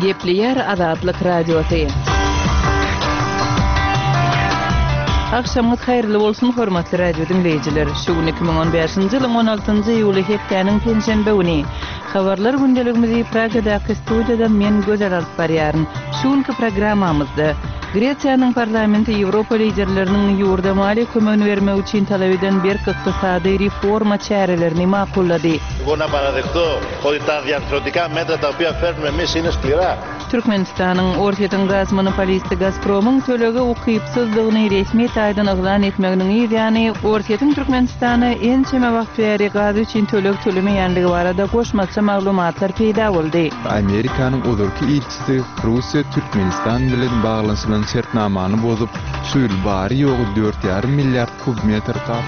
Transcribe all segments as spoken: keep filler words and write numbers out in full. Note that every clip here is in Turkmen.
Gepleýär Azatlyk Radiosy. Agşamyňyz haýyrly bolsun, hormatly radio diňleýjiler. Şu gün iki müň on bäşinji ýylyň on altynjy iýuly hepdäniň penşenbe güni. Habarlar gündeligimizi Pragadaky studiýadan men Gözel alyp barýaryn. Şu günki programmamyzda Gresiýanyň parlamenti Ýewropa liderleriniň ýurda maliýe kömegini bermek üçin talap eden berk ykdysady reforma çärelerini makullady. Türkmenistanyň Orsýetiň gaz monopolisti Gazpromyň tölege ukypsyzdygyny resmi taýdan yglan etmeginiň yz ýany, Orsýetiň Türkmenistana ençeme wagt bäri gaz üçin töleg tölemeýänligi barada goşmaça maglumatlar peýda boldy. Amerikanyň ozalky ilçisi Russiýa Türkmenistan bilen baglanyşylan şertnamany bozup, şu ýyl bary-ýogy dört ýarym milliard kub metr gaz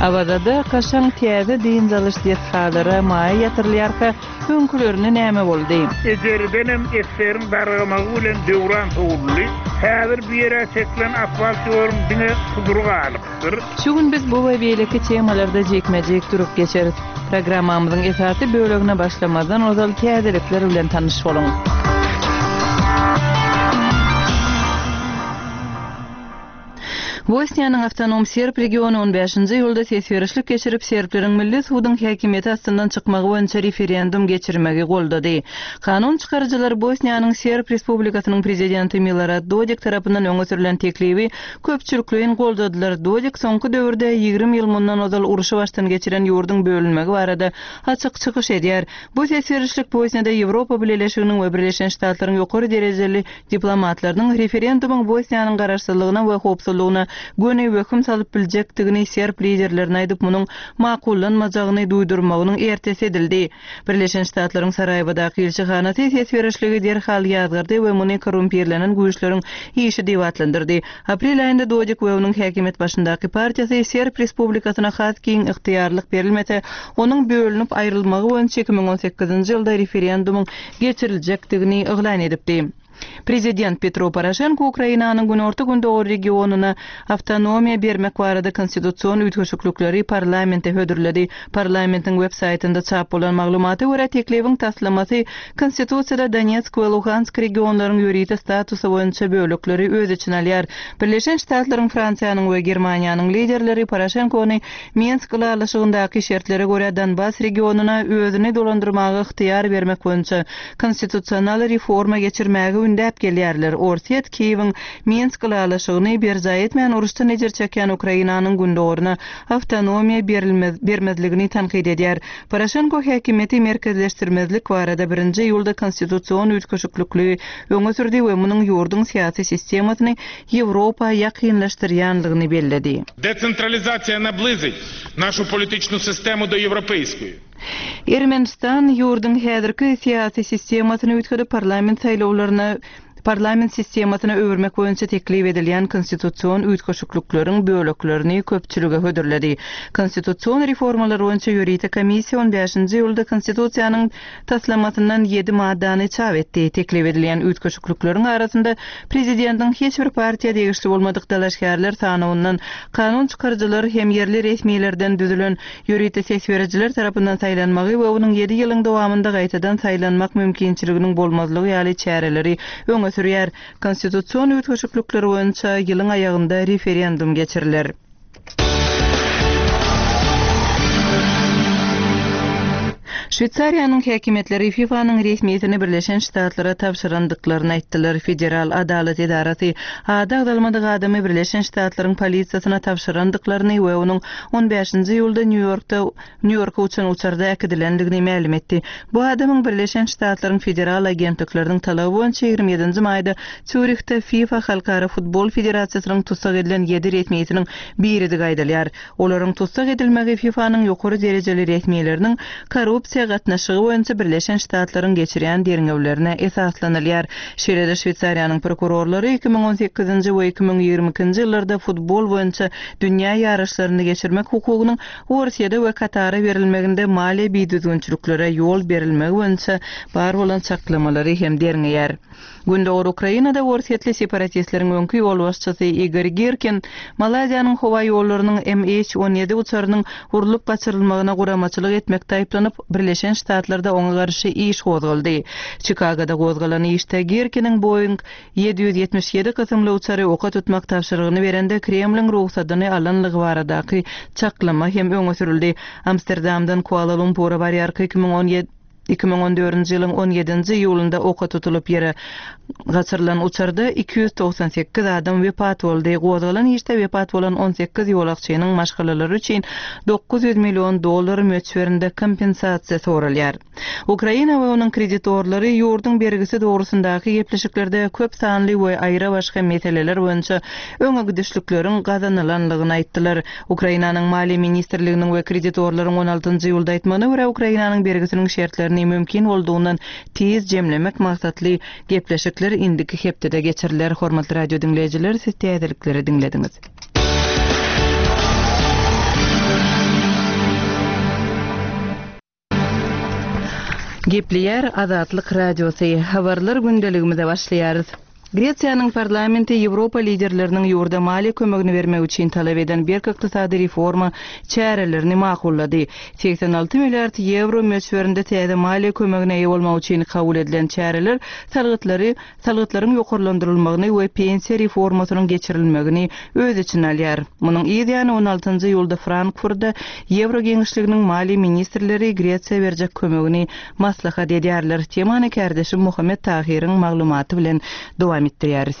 Awazada kaşaň täze dynç alyş desgalara maýa ýatyrylýarka, öňkülerine näme boldy? Ejeridenem eseriň dargamagy bilen döwran sowuldy. Häzir bu ýere çekilen asfalt ýoluň diňe sudury galypdyr. Şu gün biz bu we beýleki temalarda jikme-jik durup geçeris. Programmamyzyň esasy bölegine başlamazdan ozal täzelikler bilen tanyş boluň. Bosniýanyň awtonom serb regiony on bäşinji iýulda ses berişlik geçirip, serbleriň milli suduň häkimiýeti astyndan çykmagy boýunça referendum geçirmegi goldady. Kanun çykaryjylar Bosniýanyň Serb Respublikasynyň prezidenti Milorad Dodik tarapyndan öňe sürlen teklibi köpçülikleýin goldadylar. Dodik soňky döwürde ýigrimi ýyl mundan ozal urşy başdan geçiren ýurduň bölünmegi barada açyk çykyş edýär. Bu ses berişlik Bosniýada Ýewropa Bileleşiginiň we Birleşen Ştatlaryň ýokary derejeli diplomatlarynyň referendumyň Bosniýanyň garaşsyzlygyna we howpsuzlygyna göni wehim salyp biljekdigini serb liderlerine aýdyp, munuň makullanmajagyny duýdurmagynyň ertesi edildi. Birleşen Ştatlaryň Saraýewadaky ilçihanasy ses berişligi derhal ýazgardy we muny korrumpirlenen güýçleriň işi diýip atlandyrdy. Aprel aýynda Dodik we onuň häkimiýet başyndaky partiýasy Serb Respublikasyna has giň ygtyýarlyk berilmese, onuň bölünip aýrylmagy boýunça iki müň on sekizinji ýylda referendumyň geçiriljekdigini yglan edipdi. Prezident Petro Poroşenko Ukrainanyň günorta-gündogar regionyna awtonomiýa bermek barada konstitusion üýtgeşiklikleri parlamente hödürledi. Parlamentiň web saýtynda çap bolan maglumata görä, teklibiň taslamasy Konstitusiýada Donetsk we Luhansk regionlaryň ýörite statusy boýunça bölekleri öz içine alýar. Birleşen Ştatlaryň, Fransiýanyň we Germaniýanyň liderleri Poroşenkony Minsk ylalaşygyndaky şertlere görä Donbas regionyna özüni dolandyrmaga ygtyýar bermek boýunça konstitusional reforma geçirmäge ündäp gelýärler. Orsýet Kiýewiň Minsk ylalaşygyny berjaý etmän uruşdan ejir çekýän Ukrainanyň gündogaryna awtonomiýa bermezligini tankyt edýär. Poroşenko häkimiýeti merkezleşdirmezlik barada birinji iýulda konstitusion üýtgeşiklikli öňe sürdi we munuň ýurduň syýasy sistemasyny Ýewropa ýakynlaşdyrýanlygyny belledi. Desentralizasiýa nablizit našu političnu sistemu do ýewropeýskoý. Ermenistan ýurduň häzirki syýasy sistemasyny üýtgedip parlament saýlawlaryna parlament sistemasyna öwürmek boýunça teklip edilýän konstitusion üýtgeşiklikleriň böleklerini köpçülige hödürledi. Konstitusion reformalar boýunça ýörite komissiýa on bäşinji iýulda konstitusiýanyň taslamasyndan ýedi maddany çap etdi. Teklip edilýän üýtgeşiklikleriň arasynda prezidentiň hiç bir partiýa degişli bolmadyk dalaşgärler sanawyndan kanun çykaryjylar hem ýerli resmilerden düzülen ýörite ses berijiler tarapyndan saýlanmagy we onuň ýedi ýylyň dowamynda gaýtadan saýlanmak mümkinçiliginiň bolmazlygy ýaly çäreleri öňe sürýär. Konstitusion üýtgeşiklikler boýunça ýylyň aýagynda referendum geçiriler. Şweýsariýanyň häkimiýetleri FIFA-nyň resmiýetini Birleşen Ştatlara tabşyrandyklaryny aýtdylar. Federal adalat edarasy ady agzalmadyk adamy Birleşen Ştatlaryň polisiýasyna tabşyrandyklaryny we onuň on bäşinji iýulda Nýu-Ýorkda Nýu-Ýorka uçan uçarda äkidilendigini mälim etdi. Bu adamyň Birleşen Ştatlaryň federal agentlikleriniň talaby boýunça ýigrimi ýedinji maýda Sýurihde FIFA Halkara futbol federasiýasynyň tussag edilen ýedi resmiýetiniň biridigi aýdylýar. Olaryň tussag edilmegi FIFA-nyň ýokary derejeli resmileriniň korrupsiýa gatnaşygy boýunça Birleşen Ştatlaryň geçirýän derňewlerine esaslanylýar. Şeýle-de Şweýsariýanyň prokurorlary iki müň on sekizinji we iki müň ýigrimi ikinji ýyllarda futbol boýunça dünýä ýaryşlaryny geçirmek hukugynyň Orsýede we Katara berilmeginde maliýe bidüzgünçiliklere ýol berilmegi boýunça bar bolan çaklamalary hem derňeýär. Gündogar Ukrainada orsýetli separatistleriň öňki ýolbaşçysy Igor Girkin Malaýziýanyň howa ýollarynyň M H on ýedi uçarynyň urlup gaçyrylmagyna guramaçylyk etmekde aýyplanyp, Birleşen Ştatlarda oňa garşy iş gozgaldy. Çikagoda gozgalan işde Girkiniň Boeing ýedi ýüz ýetmiş ýedi kysymly uçary oka tutmak tabşyrygyny berende Kremliň rugsadyny alanlygy baradaky çaklama hem öňe sürüldi. Amsterdamdan Kuala Lumpura barýarka iki müň on ýedi iki müň on dördünji ýylyň on ýedinji iýulynda oka tutulyp ýere gaçyrylan uçarda iki ýüz togsan sekiz adam wepat boldy. Gozgalan işde wepat bolan on sekiz ýolagçynyň maşgalalary üçin dokuz ýüz million dollar möçberinde kompensasiýa soralýar. Ukraina we onuň kreditorlary ýurduň bergisi dogrusyndaky gepleşiklerde köp sanly we aýra başga meseleler boýunça öňe gidişlikleriň gazanylanlygyny aýtdylar. Ukrainanyň Maliýe ministrliginiň we kreditorlaryň on altynjy iýulda aýtmagyna görä Ukrainanyň bergisiniň şertlerini mümkin boldugyny tiz jemlemek maksatly gepleşikler indiki hepdede geçiriler. Hormatly radio diňleýjiler, siz täzelikleri diňlediňiz. Gepleýär Azatlyk Radiosy. Habarlar gündeligimize başlaýarys. Gresiýanyň parlamenti Ýewropa liderleriniň ýurda maliýe kömegini bermek üçin talap eden berk ykdysady reforma çärelerini makullady. Seksen alty milliard ýewro möçberinde täze maliýe kömegine eýe bolmak üçin kabul edilen çäreler salgytlary, salgytlaryň ýokarlandyrylmagyny we pensiýa reformasynyň geçirilmegini öz içine alýar. Munuň yz ýany on altynjy iýulda Frankfurtda Ýewro geňeşliginiň maliýe ministrleri Gresiýa berjek kömegini maslahat edýärler. Temany kärdeşim Muhammet Tahiriň maglumaty bilen dowam etdirýäris.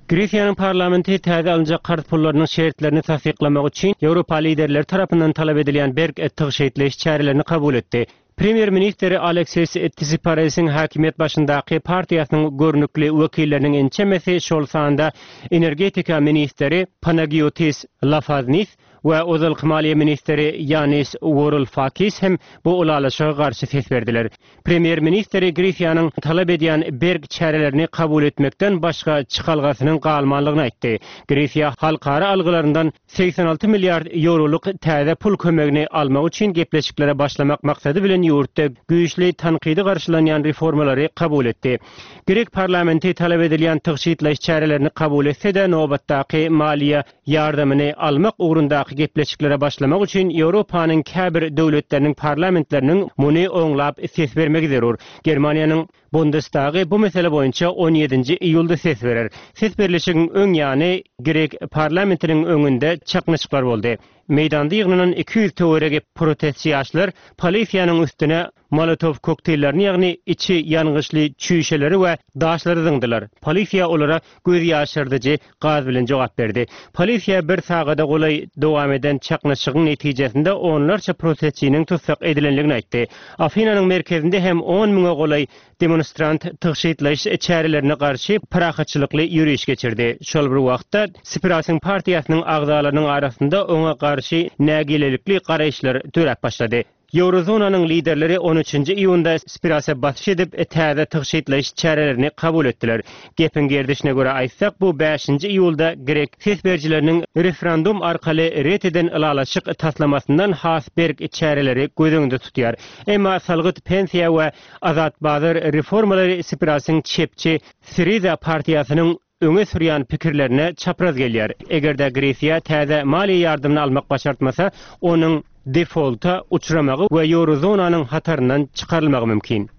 Gresiýanyň parlamenti täze alynjak karz pullarynyň şertlerini tassyklamak üçin Ýewropa liderleri tarapyndan talap edilýän berk tygşytlaýyş çärelerini kabul etdi. Premýer-ministri Aleksis Tsiprasiň hakimiýet başyndaky partiýasynyň görnükli wekilleriniň ençemesi, şol sanda energetika ministri Panagiotis Lafaznis we ozalky maliýe ministri Ýanis Varoufakis hem bu ylalaşyga garşy ses berdiler. Premýer-ministri Gresiýanyň talap edýän berk çärelerini kabul etmekden başga çykalgasynyň galmanlygyny aýtdy. Gresiýa halkara algylaryndan seksen alty milliard ýewrolyk täze pul kömegini almak üçin gepleşiklere başlamak maksady bilen ýurtda güýçli tankydy garşylanýan reformalary kabul etdi. Grek parlamenti talap edilýän tygşytlaýyş çärelerini kabul etse-de nobatdaky maliýe ýardamyny almak ugrundaky gepleşiklere başlamak üçin Ýewropanyň käbir döwletleriniň parlamentleriniň muny oňlap ses bermegi zerur. Germaniýanyň Bundestagy bu mesele boýunça on ýedinji iýulda ses berer. Ses berlişigiň öň ýany Grek parlamentiniň öňünde çaknyşyklar boldy. Meýdanda ýygnanan iki ýüz töweregi protestçi ýaşlar polisiýanyň üstüne Molotov kokteýllerini, ýagny içi ýangyçly çüýşeleri we daşlary zyňdylar. Polisiýa olara göz ýaşyrdyjy gaz bilen jogap berdi. Polisiýa bir sagada golaý dowam eden çaknyşygyň netijesinde onlarça protestçiniň tutsak edilenligini aýtdy. Afinanyň merkezinde hem on müňe golaý demonstrant tygşytlaýyş çärelerine garşy parahatçylykly ýöriş geçirdi. Şol bir wagtda Tsiprasiň partiýasynyň agzalarynyň arasynda oňa garşy nägilelikli garaýyşlar döräp başlady. Eurozonanyň liderleri on üçünji iýunda Tsiprasa basyş edip täze tygşytlaýyş çärelerini kabul etdiler. Gepiň gerdişine görä aýtsak, bu bäşinji iýulda grek ses berijileriniň referendum arkaly ret eden ylalaşyk taslamasyndan has berk çäreleri göz öňünde tutýar. Emma salgyt pensiýa we azat bazar reformalary Tsiprasiň çepçi Syriza partiýasynyň öňe sürýän pikirlerine çapraz gelýär. Eger-de Gresiýa täze maliýe ýardamyny almak başartmasa, onuň defaulta uçramagy we Eurozonanyň hataryndan çykarylmagy mümkin.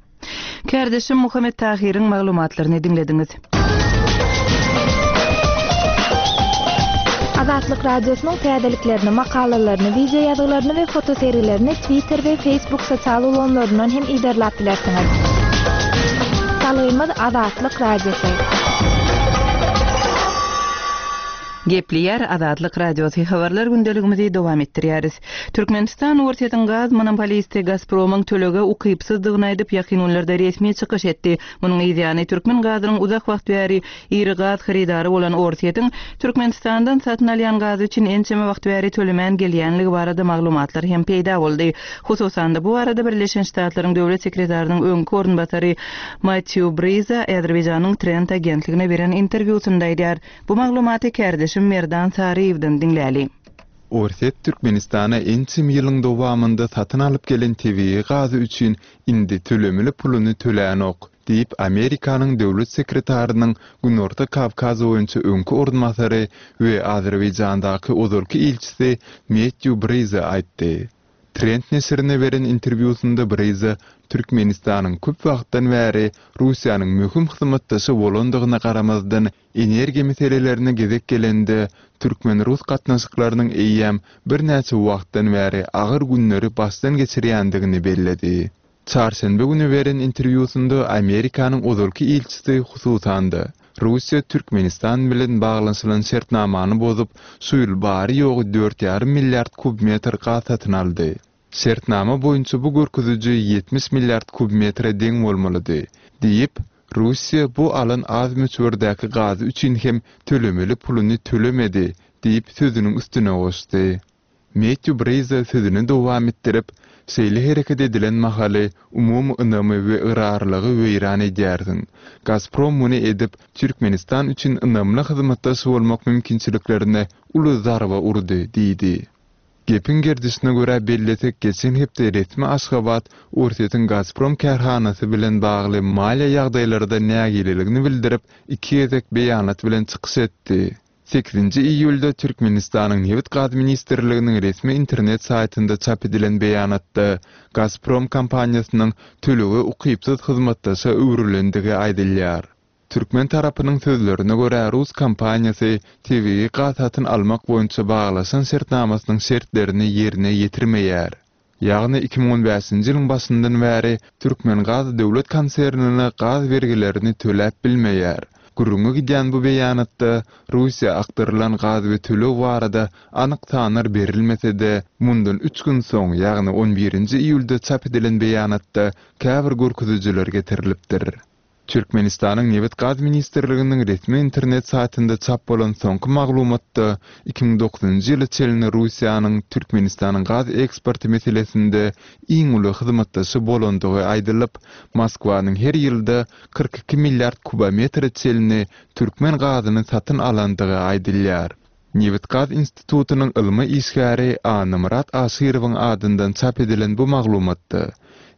Kärdeşim Muhammet Tahiriň maglumatlaryny diňlediňiz. Azatlyk Radiosynyň täzeliklerini, makalalaryny, video ýazgylaryny we fotosergilerini Twitter we Facebook sosial ulgamlaryndan hem iberläp bilersiňiz. Salgymyz Azatlyk Radiosy. Gepleýär Azatlyk Radiosy. Habarlar gündeligimizi dowam etdirýäris. Türkmenistan Orsýetiň gaz monopolisti Gazpromyň tölege ukypsyzdygyny aýdyp, ýakyn günlerde resmi çykyş etdi. Munuň yzýany türkmen gazynyň uzak wagt bäri iri gaz hyrydary bolan Orsýetiň Türkmenistandan satyn alýan gazy üçin ençeme wagt bäri tölemän gelýänligi barada maglumatlar hem peýda boldy. Hususan-da bu barada Birleşen Ştatlaryň döwlet sekretarynyň öňki orunbasary Matthew Briza Azerbaýjanyň Trend agentligine beren interwýusynda aýdýar. Bu maglumaty kärdeşim Merdan Saryýewden diňläli. Orsýet Türkmenistana ençeme ýylyň dowamynda satyn alyp gelen tebigy gazy üçin indi tölemeli puluny tölänok. diýip, Amerikanyň döwlet sekretarynyň Günorta Kawkaz boýunça öňki orunbasary we Azerbaýjandaky ozalky ilçisi Metýu Briza aýtdy. Trend neşirine beren interwýusynda Briza Türkmenistanyň köp wagtdan bäri Russiýanyň möhüm hyzmatdaşy bolandygyna garamazdan, energiýa meselelerine gezek gelende, türkmen-rus gatnaşyklarynyň eýýäm birnäçe wagtdan bäri agyr günleri başdan geçirýändigini belledi. Çarşenbe güni beren interwýusynda Amerikanyň ozalky ilçisi hususan-da, Russiýa Türkmenistan bilen baglanyşylan şertnamany bozup, şu ýyl bary-ýogy dört ýarym milliard kub metr gaz satyn aldy. Şertnama boýunça bu görkeziji ýetmiş milliard kub metre deň bolmalydy, diýip, Russiýa bu alan az möçberdäki gazy üçin hem tölemeli puluny tölemedi diýip sözüniň üstüne goşdy. Metýu Briza sözüni dowam etdirip, Şeýle hereket edilen mahaly umumy ynamy we ygrarlylygy weýran edýärsiň. Gazprom muny edip, Türkmenistan üçin ynamly hyzmatdaş bolmak mümkinçiliklerine uly zarba urdy diýdi. Gepiň gerdişine görä bellesek, geçen hepde resmi Aşgabat Orsýetiň Gazprom kärhanasy bilen bagly maliýe ýagdaýlarda nägileligini bildirip, iki gezek beýanat bilen çykyş etdi. Sekizinji iýulda Türkmenistanyň Nebit-gaz ministrliginiň resmi internet saýtynda çap edilen beýanatda Gazprom kompaniýasynyň tölege ukypsyz hyzmatdaşa öwrülendigi aýdylýar. Türkmen tarapynyň sözlerine görä, rus kompaniýasy tebigy gaz satyn almak boýunça baglaşan şertnamasynyň şertlerini ýerine ýetirmeýär. Ýagny iki müň on bäşinji ýylyň başyndan bäri Türkmengaz döwlet konsernine gaz bergilerini töläp bilmeýär. Gürrüňi gidýän bu beýanatda Russiýa akdyrylan gaz we töleg barada anyk sanlar berilmese-de, mundan üç gün soň, ýagny on birinji iýulda çap edilen beýanatda käbir görkezijiler getirilipdir. Türkmenistanyň Nebit-gaz ministrliginiň resmi internet saýtynda çap bolan soňky maglumatda iki müň dokuzynjy ýyla çenli Russiýanyň Türkmenistanyň gaz eksporty meselesinde iň uly hyzmatdaşy bolandygy aýdylyp, Moskwanyň her ýylda kyrk iki milliard kubometre çenli türkmen gazyny satyn alandygy aýdylýar. Nebit-gaz institutynyň ylmy işgäri Annamyrat Aşyrowyň adyndan çap edilen bu maglumatda,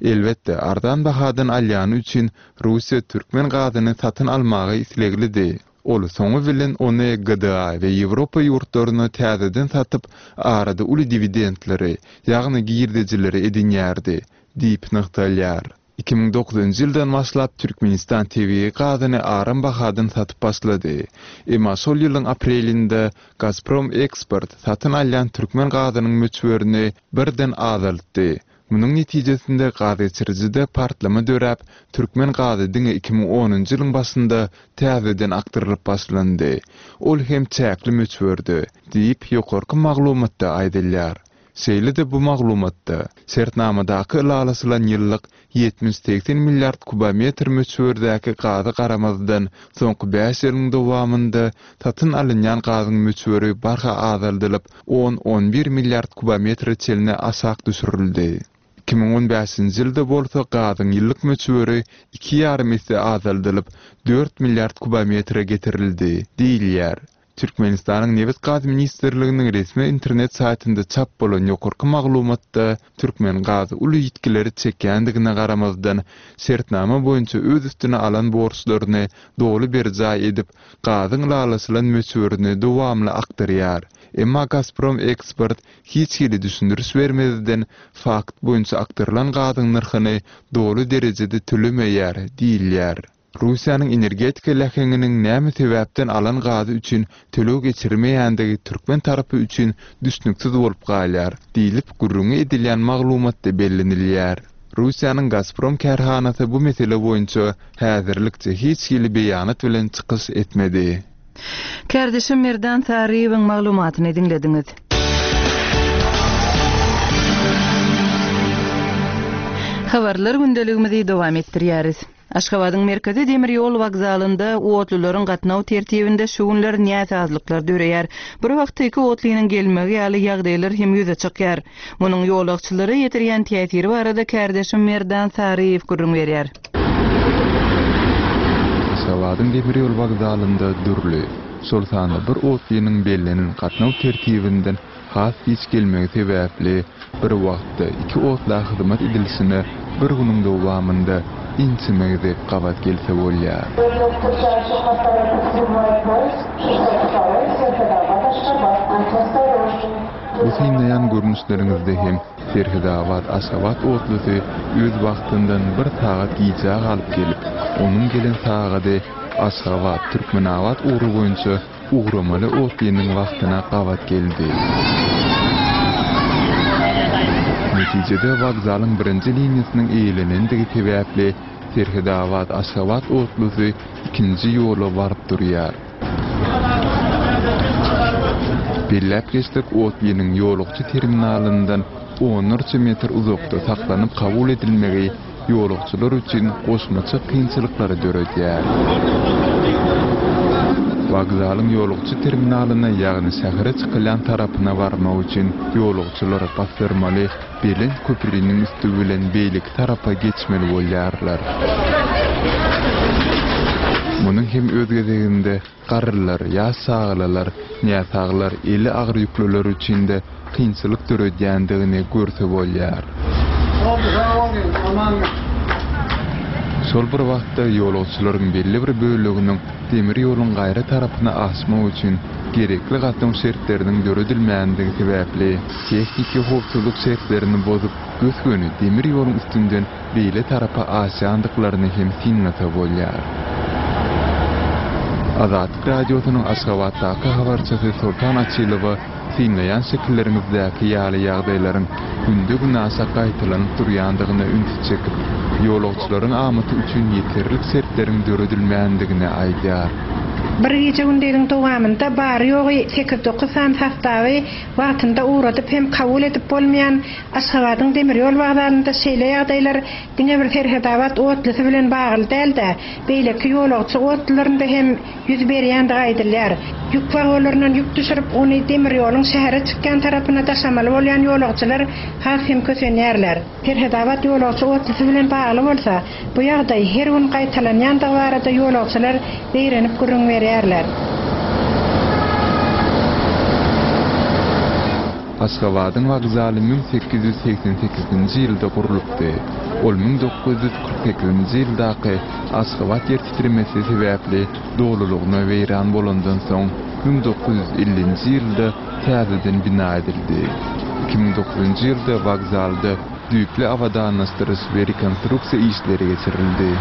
elbetde, arzan bahadan alýany üçin Russiýa türkmen gazyny satyn almaga isleglidi. Ol soňy bilen ony G D A we Ýewropa ýurtlaryna täzeden satyp, arada uly diwidendleri, ýagny girdejileri edinýärdi, diýip nygtalýar. Iki müň dokuzynjy ýyldan başlap Türkmenistan tebigy gazyny aram bahadan satyp başlady. Emma şol ýylyň aprelinde Gazprom Eksport satyn alýan türkmen gazynyň möçberini birden azaltdy. Munuň netijesinde gaz geçirijide partlama döräp, türkmen gazy diňe iki müň onunjy ýylyň başynda täzeden akdyrylyp başlandy. Ol hem çäkli möçberde, diýip ýokarky maglumatda aýdylýar. Şeýle-de bu maglumatda şertnamadaky ylalaşylan ýyllyk ýetmiş-segsen milliard kubometr möçberdäki gazy garamazdan soňky bäş ýylyň dowamynda satyn alynýan gazyň möçberi barha azaldylyp, on-on bir milliard kubometre çenli aşak düşürildi. Iki müň on bäşinji ýylda bolsa gazyň ýyllyk möçberi iki ýarym esse azaldylyp, dört milliard kubometre getirildi, diýilýär. Türkmenistanyň Nebit-gaz ministrliginiň resmi internet saýtynda çap bolan ýokarky maglumatda Türkmengaz uly ýitgileri çekýändigine garamazdan, şertnama boýunça öz üstüne alan borçlaryny doly berjaý edip, gazyň ylalaşylan möçberini dowamly akdyrýar. Emma Gazprom Eksport hiç hili düşündiriş bermezden fakt boýunça akdyrylan gazyň nyrhyny doly derejede tölemeýär diýilýär. Russiýanyň energetika läheňiniň näme sebäpden alan gazy üçin töleg geçirmeýändigi türkmen tarapy üçin düşnüksiz bolup galýar, diýlip gürrüňi edilýän maglumatda bellenilýär. Russiýanyň Gazprom kärhanasy bu mesele boýunça häzirlikçe hiç hili beýanat bilen çykyş etmedi. Kärdeşim Merdan Saryýewiň maglumatyny diňlediňiz. Habarlar gündeligimizi dowam etdirýäris. Aşgabadyň merkezi demir ýol wokzalynda otlularyň gatnaw tertibinde şu günler näsazlyklar döreýär. Bir wagtda iki otlynyň gelmegi ýaly ýagdaýlar hem ýüze çykýar. Munuň ýolagçylara ýetirýän täsiri barada kärdeşim Merdan Saryýew gürrüň berýär. Aşgabadyň demir ýol wokzalynda dürli, şol sanda bir otlynyň bellenen gatnaw tertibinden has giç gelmegi sebäpli bir wagtda iki otla hyzmat edilişine bir günüň dowamynda ençeme gezek gabat gelse bolýar. Bu synlaýan görnüşleriňizde hem Serhedabat Aşgabat otlusy öz wagtyndan bir sagat gijä galyp gelip, onuň gelen sagady Aşgabat Türkmenabat ugry boýunça ugramaly otlynyň wagtyna gabat geldi. Netijede wokzalyň birinji liniýasynyň eýelenendigi sebäpli Serhedabat Aşgabat otlusy ikinji ýola baryp durýar. Belläp geçdik, otlynyň ýolagçy terminalyndan onlarça metr uzakda saklanyp kabul edilmegi ýolagçylar üçin goşmaça kynçylyklary döredýär. Wokzalyň ýolagçy terminalyna, ýagny şähere çykylýan tarapyna barmak üçin ýolagçylar basdyrmaly belent köprüniň üstü bilen beýleki tarapa geçmeli bolýarlar. Munuň hem öz gezeginde garrylar, ýaş çagalar, näsaglar, eli agyr ýüklüler üçin de kynçylyk döredýändigini görse bolýar. Şol bir wagtda ýolagçylaryň belli bir böleginiň demir ýoluň gaýry tarapyna aşmak üçin gerekli gatnaw şertleriniň döredilmändigi sebäpli tehniki howpsuzlyk şertlerini bozup, gös-göni demir ýoluň üstünden beýle tarapa aşýandyklaryny hem synlasa bolýar. Azatlyk radiosynyň Aşgabatdaky habarçysy Sultan Açylowa synlaýan şekilleriňizdäki ýaly ýagdaýlaryň günde-güne aşa gaýtalanyp durýandygyna üns çekip, ýolagçylaryň amaty üçin ýeterlik şertleriň döredilmändigini aýdýar. Bir gije gündiziň dowamynda bary ýogy sekiz dokuz sany sostawy wagtynda ugradyp hem kabul edip bolmaýan Aşgabadyň demir ýol wokzalynda şeýle ýagdaýlar diňe bir Serhedabat otlusy bilen bagly däl-de, beýleki ýolagçy otlularynda hem ýüz berýändigi aýdylýar. Ýük wagonlaryndan ýük düşürip, ony demir ýoluň şähere çykýan tarapyna daşamaly bolýan ýolagçylar has hem kösenýärler. Serhedabat ýolagçy otlusy bilen bagly bolsa, bu ýagdaý her gün gaýtalanýandygy barada ýolagçylar zeýrenip gürrüň berýärler. Aşgabadyň wokzaly müň sekiz ýüz seksen sekizinji ýylda gurlupdy. Ol müň dokuz ýüz kyrk sekizinji ýyldaky Aşgabat ýer titremesi sebäpli dolulygyna weýran bolandan soň müň dokuz ýüz ellinji ýylda täzeden bina edildi. Iki müň dokuzunjy ýylda wokzalda düýpli abadanlaşdyryş we rekonstruksiýa işleri geçirildi.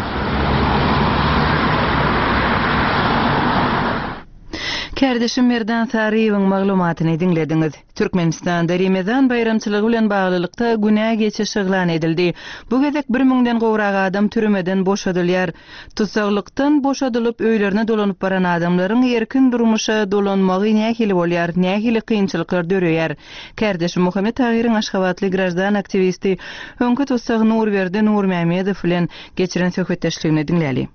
Kardeşim Merdan Saryýewiň maglumatyny diňlediňiz. Türkmenistanda Remezan baýramçylygy bilen baglylykda günä geçiş yglan edildi. Bu gezek bir müňden gowrak adam türmeden boşadylýar. Tutsaglykdan boşadylyp öýlerine dolanyp baran adamlaryň erkin durmuşa dolanmagy nähili bolýar, nähili kynçylyklar döreýär. Kardeşim Muhammet Tahyryň Aşgabatly grajdan aktiwisti öňki tussag Nurberdi Nurmämmedow bilen geçiren söhbetdeşligini diňläli.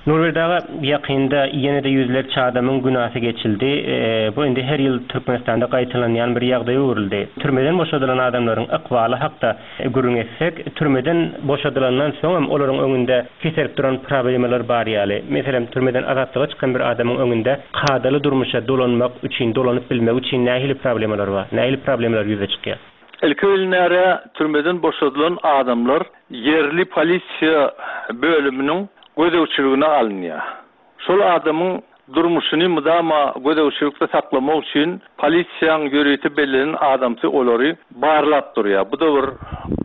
Nurberdi aga, ýakynda ýene-de ýüzlerçe adamyň günäsi geçildi. E, bu indi her ýyl Türkmenistanda gaýtalanýan bir ýagdaý öwrüldi. Türmeden boşadylan adamlaryň ykbaly hakda gürrüň etsek, türmeden boşadylandan soň hem olaryň öňünde keserip duran problemalar bar ýaly. Meselem, türmeden azatlyga çykan bir adamyň öňünde kadaly durmuşa dolanmak üçin, dolanyp bilmek üçin nähili problemalar bar? Nähili problemalar ýüze çykýar? Ilki bilinere türmeden boşadylan adamlar ýerli polisiýa bölüminiň gözegçiligine alynýar. Şol adamyň durmuşyny mudama gözegçilikde saklamak üçin polisiýanyň ýörite bellenen adamsy olary barlap durýar. Bu da bir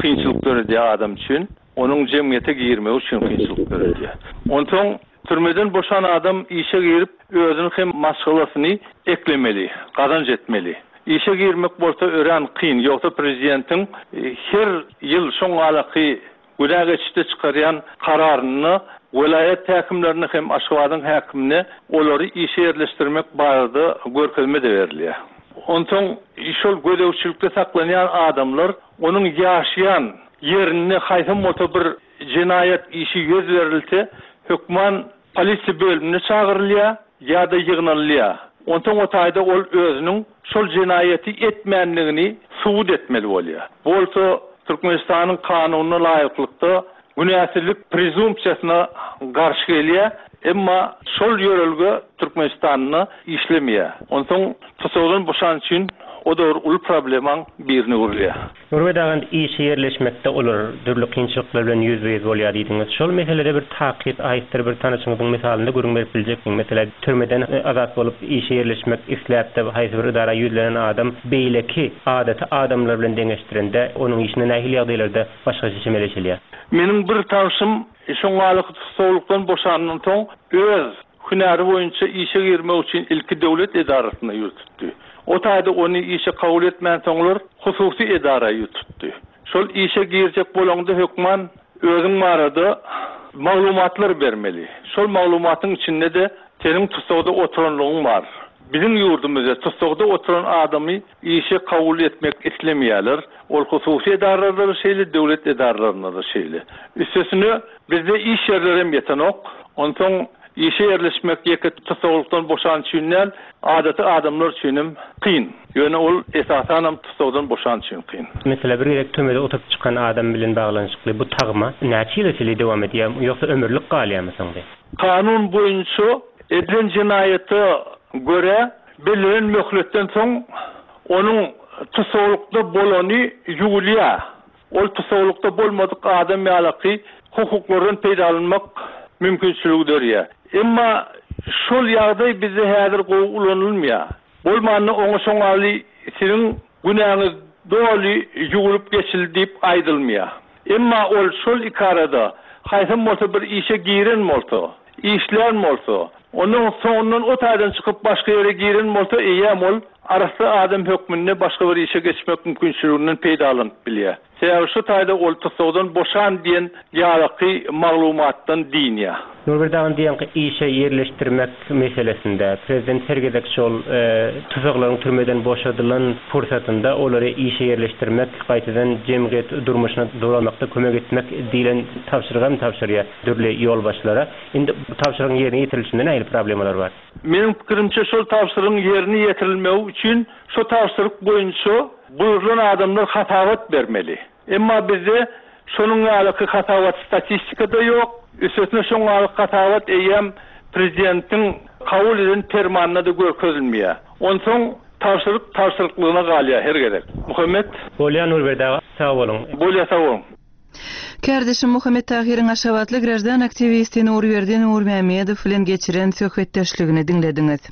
kynçylyk döredýär adam üçin. Onuň jemgyýete girmegi üçin kynçylyk döredýär. Onsoň türmeden boşan adam işe girip özüni hem maşgalasyny eklemeli, gazanç etmeli. Işe girmek bolsa örän kyn. Ýogsa prezidentiň her ýyl şoň alaky günä geçişde çykarýan kararyny welaýat häkimlerine hem Aşgabadyň häkimine olary işe ýerleşdirmek barada görkezme de berilýär. Onsoň şol gözegçilikde saklanýan adamlar onuň ýaşaýan ýerinde haýsam bolsa bir jenaýat işi ýüz berilse, hökman polisiýa bölümine çagyrylýar ýa-da ýygnalýar. Onsoň o taýda ol özüniň şol jenaýaty etmänligini subut etmeli bolýar. Bolsa Türkmenistanyň kanunyna laýyklykda günäsizlik prezumpsiýasyna garşy gelýär, emma şol ýörelge Türkmenistanda işlemeýär. Onsoň tussagdan boşan üçin O-da bir uly problemaň birine öwrülýär. Nurberdi aga, indi işe ýerleşmekde olar dürli kynçylyklar bilen ýüzbe-ýüz bolýar diýdiňiz. Şol meselede bir takyk aýtdyr bir tanyşyňyzyň mysalynda gürrüň berip biljekmiň? Meselem, türmeden azat bolup işe ýerleşmek isläp-de haýsy bir edara ýüzlenen adam beýleki adaty adamlar bilen deňeşdirende onuň işine nähili ýagdaýlarda başgaça çemeleşilýär? Meniň bir tanşym şoňňalyk tussaglykdan boşandan soň öz hünäri boýunça işe girmek üçin ilki döwlet edarasyna ýüz tutdy. O taýda ony işe kabul etmänsoňlar hususy edara ýüz tutdy. Şol işe girjek bolaňda hökman özüň barada maglumatlar bermeli. Şol maglumatyň içinde-de seniň tussagda oturanlygyň bar. Biziň ýurdumyzda tussagda oturan adamy işe kabul etmek islemeýärler. Ol hususy edaralarda-da şeýle, döwlet edaralarynda-da şeýle. Üstesine bizde iş ýerlerem ýetenok. Onsoň işe ýerleşmek ýeke tussaglykdan boşan üçin däl, adaty adamlar üçinem kyn. Ýöne ol esasanam tussagdan boşan üçin kyn. Meselem, bir gezek türmede oturyp çykan adam bilen baglanyşykly bu tagma näçe ýyla çenli dowam edýär, ýogsa ömürlik galýarmy soň bu? Kanun boýunça edilen jenaýata görä bellenen möhletden soň onuň tussaglykda bolany ýuwulýar. Ol tussaglykda bolmadyk adam ýalaky hukuklardan peýdalanmak mümkinçiligi dörýär. Emma şol ýagdaý bizde häzir gowy ulanylmaýar. Bolmanda oňa şoňaly siziň günäňiz doly ýuwulyp geçildi diýip aýdylmaýar. Emma ol şol iki arada haýsam bolsa bir işe giren bolsa, işlän bolsa, ondan soňundan o taýdan çykyp başga ýere giren bolsa, eýýäm ol arassa adam hökmünde başga bir işe geçmek mümkinçiliginden peýdalanyp bilýär. Sebäbi şu taýda ol tussagdan boşan diýen ýalaky maglumatdan diýinýär. Nurberdi aga diýen işe ýerleşdirmek meselesinde prezident her gezek şol, e, tussaglaryň türmeden boşadylan pursatynda olary işe ýerleşdirmek, gaýtadan jemgyýet durmuşyna dolamakda kömek etmek diýlen tabşyrygy hem tabşyrýar dürli ýolbaşçylara. Indi bu tabşyrygyň ýerine ýetirilişinde nähili problemalar bar? Meniň pikirimçe şol tabşyrygyň ýerine ýetirilmegi üçin şu tabşyryk boýunça buýrulan adamlar hasabat bermeli. Emma bizde şonuň ýaly hasabat statistikada ýok. Üstesine şonuň ýaly hasabat eýýäm prezidentiň kabul eden permanyna da görkezilmeýär. Onsoň tabşyryk tabşyryklygyna galýar her gezek. Muhammet? Bolýar Nurberdi aga, sag boluň. Bolýar, sag boluň. Kardeşim Muhammet Tahyryň Aşgabatly graždan aktiwisti Nurberdi Nurmämmedow bilen geçiren söhbetdeşligini diňlediňiz.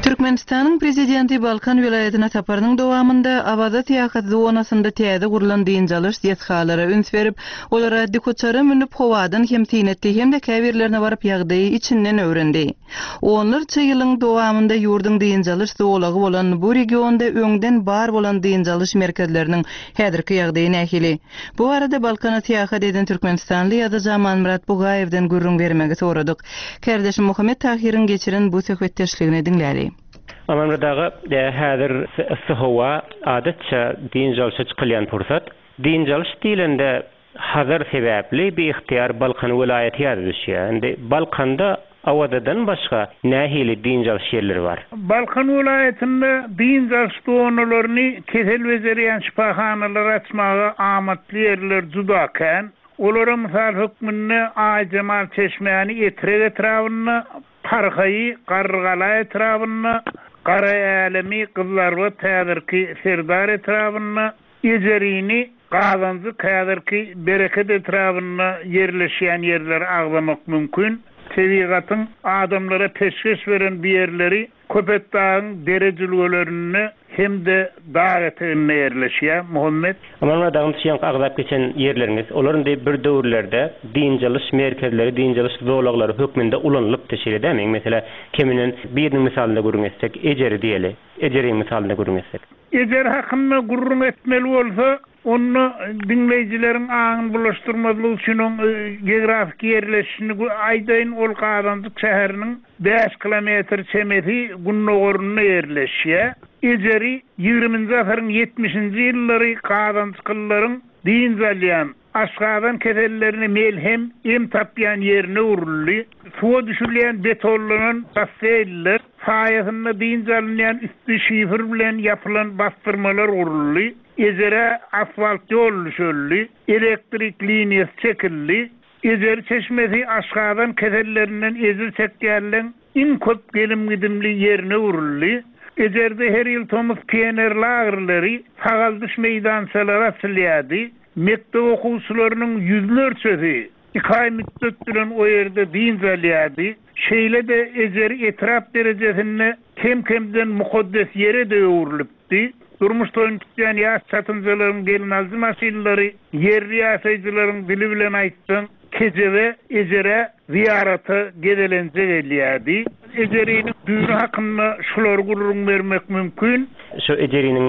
Türkmenistanyň prezidenti Balkan welaýatyna saparynyň dowamynda Awaza syýahat zonasynda täze gurlan dynç alyş desgalara üns berip, olara dikuçara münüp howadan hem syn etdi hem-de käbirlerine baryp ýagdaýy içinden öwrendi. Onlarça ýylyň dowamynda ýurduň dynç alyş zolagy bolan bu regionda öňden bar bolan dynç alyş merkezleriniň häzirki ýagdaýy nähili? Bu arada Balkana syýahat eden Türkmenistanly ýazyjy Amanmyrat Bugaýewden gürrüň bermegi soradyk. Kardeşim Muhammet Tahyryň geçiren bu söhbetdeşligini diňläli. Amanmyrat aga, e, häzir yssy howa adatça dynç alyşa çykylýan pursat. Dynç alyş diýlende Hazar sebäpli bir ihtiýar Balkan welaýaty ýazy düşýär. Indi Balkanda Awazadan başga nähili dynç alyş ýerleri bar? Balkan welaýatynda dynç alyş zonalaryny kesel bejerýän şypahanalar açmaga amatly ýerler juda kän. Olara mysal hökmünde Aýjemal çeşmäni Etrek etrabynda, Parhaýy Garrygala etrabynda, Gara Älemi Gyzlarbat häzirki Serdar etrabynda, Ejerini Gazanjyk häzirki Bereket etrabynda ýerleşýän ýerleri agzamak mümkin. Tebigatyň adamlara peşgeş beren bu ýerleri Köpetdagyň dere jülgelerinde hem-de dag eteginde ýerleşýär. Muhammet. Amanmyrat agam, şu ýanky agzap geçen ýerleriňiz, olar indi bir döwürlerde dynç alyş merkezleri, dynç alyş zolaglary hökmünde ulanylypdy, şeýle dämi? Mesela, keminden biriniň mysalynda gürrüň etsek, Ejeri diýeli. Ejeriň mysalynda gürrüň etsek. Ejer hakynda gürrüň etmeli bolsa, onda diňleýjileriň aňyny bulaşdyrmazlyk üçin oň, e, geografik ýerleşişini gü-, aýdaýyn, ol Gazanjyk şäheriniň bäş kilometr çemesi gündogarynda ýerleşýär. Ejeri ýigriminji asyryň ýetmişinji ýyllary Gazanjykyllaryň dynç alýan, aşgazan kesellerine melhem em tapýan ýerine öwrüldi. Suwa düşülýän betonlanan basseýnler saýasynda dynç alynýan üstü şifr bilen ýapylan bastyrmalar guruldy. Ejere asfalt ýol düşüldi, elektrik liniýasy çekildi. Ejeri çeşmesi aşgazan kesellerinden ejir çekýänleň iň köp gelim-gidimli ýerine öwrüldi. Ejerde her ýyl tomus pioner lagerleri, sagaldyş meýdançalary açylýardy. Mekdep okuwçylarynyň ýüzlerçesi iki aý müddet bilen o ýerde dynç alýardy. Şeýle-de Ejeri etrap derejesinde kem-kemden mukaddes ýere-de öwrülipdi. Durmuş toýuny tutýan ýaş çatynjalaryň gelinaljy maşynlary ýerli ýaşaýjylaryň dili bilen aýtsaň, Kejebe, Ejere zyýarata gezelenje gelýärdi. Ejeriniň düýni hakynda şulary gürrüň bermek mümkin. Şu Ejeriniň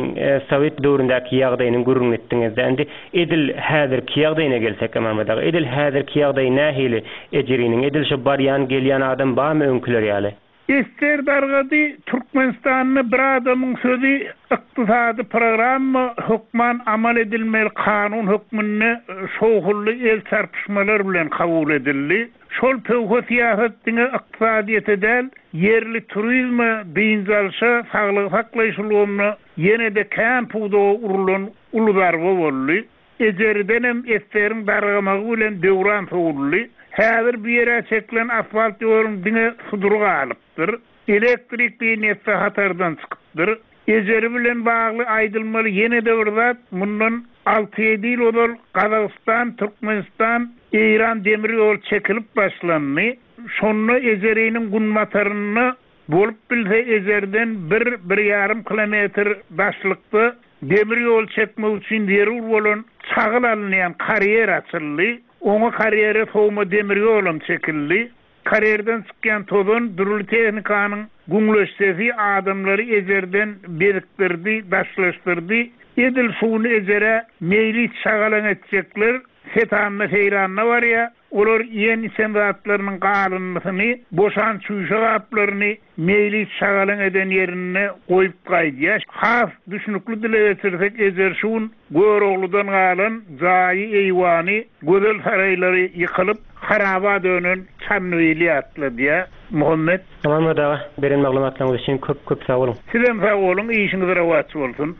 sowet döwründäki ýagdaýyny gürrüň etdiňiz-de, indi edil häzirki ýagdaýyna gelsek, Amanmyrat aga, edil häzirki ýagdaýy nähili Ejeriniň, edil şu barýan, gelýän adam barmy öňküler ýaly? Ester dargady, Türkmenistanda bir adamyň sözi ykdysady programma hökman amal edilmeli kanun hökmünde şowhunly el çarpyşmalar bilen kabul edildi. Şol pöwhe syýasat diňe ykdysadyýete däl, ýerli turizme, dynç alşa, saglygy saklaýyş ulgamyna ýene-de kän pudaga urulan uly zarba boldy. Ejeridenem Esteriň dargamagy bilen döwran sowuldy. Häzir bu ýere çekilen asfalt ýoluň diňe sudury galypdyr. Elektrik liniýasy hatardan çykypdyr. Ejeri bilen bagly aýdylmaly ýene-de bir zat, mundan alty-ýedi ýyl ozal Gazagystan, Türkmenistan, Eýran demir ýol çekilip başlandy. Şonda Ejeriniň günbatarynda bolup bilse Ejerden bir, bir ýarym kilometr daşlykda demir ýol çekmek üçin zerur bolan çagyl alynýan karýer açyldy. Oňa karýere sowma demir ýolam çekildi. Karýerden çykýan tozan dürli tehnikanyň güňleşsesi adamlary Ejerden bezikdirdi, daşlaşdyrdy. Edil şuny Ejere meýlis şagalan etjekler setanda seýranda barýar. Olar iýen içen zatlarynyň galyndysyny, boşan çüýşe gaplaryny meýlis şagalan eden ýerinde goýup gaýdýar. Has düşnükli dile geçirsek, Ejer şun Görogludan galan jaýy, eýwany, gözel saraýlary ýykylyp, haraba dönen Çandybil atladýar. Muhammet. Amanmyrat aga, beren maglumatlaryňyz üçin köp-köp sag boluň. Sizem sag boluň, işiňiz rowaç bolsun.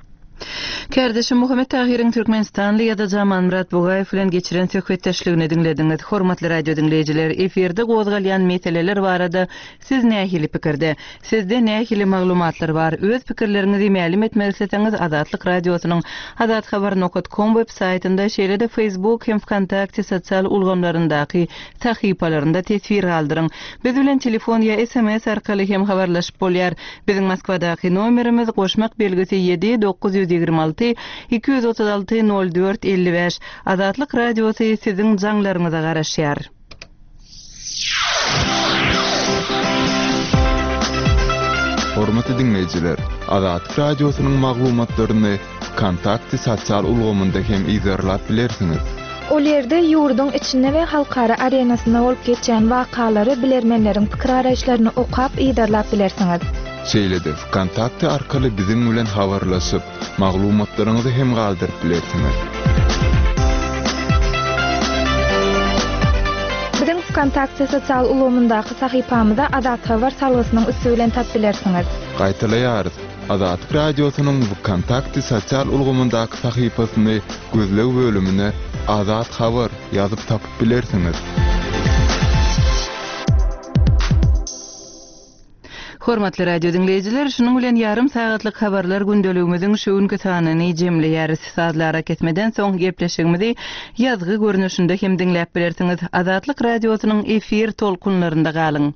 Kärdeşim Muhammet Tahyryň Türkmenistanly ýazyjy Amanmyrat Bugaýew bilen geçiren söhbetdeşligini diňlediňiz. Hormatly radio diňleýjiler, efirde gozgalýan meseleler barada siz nähili pikirde? Sizde nähili maglumatlar bar? Öz pikirleriňizi mälim etmek isleseňiz Azatlyk radiosynyň azathabar nokta com web saýtynda, şeýle-de Facebook hem VKontakte sosial ulgamlaryndaky sahypalarynda teswir galdyryň. Biz bilen telefon ýa S M S arkaly hem habarlaşyp bolýar. Biziň Moskwadaky nomerimiz goşmak belgisi ýedi dokuz ýüz ýigrimi alty iki ýüz otuz alty nol dört elli bäş. Azatlyk radiosy siziň jaňlaryňyza garaşýar. Hormatly diňleýjiler, Azatlyk radiosynyň maglumatlaryny VKontakte sosial ulgamynda hem yzarlap bilersiňiz. Ol ýerde ýurduň içinde we halkara arenasynda bolup geçýän wakalary bilermenleriň pikir araýyşlaryny okap yzarlap bilersiňiz. Şeýle-de VKontakte arkaly biziň bilen habarlaşyp, maglumatlaryňyzy hem galdyryp bilersiňiz. Biziň VKontakte sosial ulgamyndaky sahypamyza Azat Habar salgysynyň üsti bilen tap bilersiňiz. Gaýtalaýarys. Azatlyk radiosynyň VKontakte sosial ulgamyndaky sahypasyny gözleg bölümine Azat Habar ýazyp tapyp bilersiňiz. Hormatly radio diňleýjiler, şunuň bilen ýarym sagatlyk habarlar gündeligimiziň şu günki sanyny jemleýäris. Sazlara kesmeden soň gepleşigimizi ýazgy görnüşinde hem diňläp bilersiňiz. Azatlyk radiosynyň efir tolkunlarynda galyň.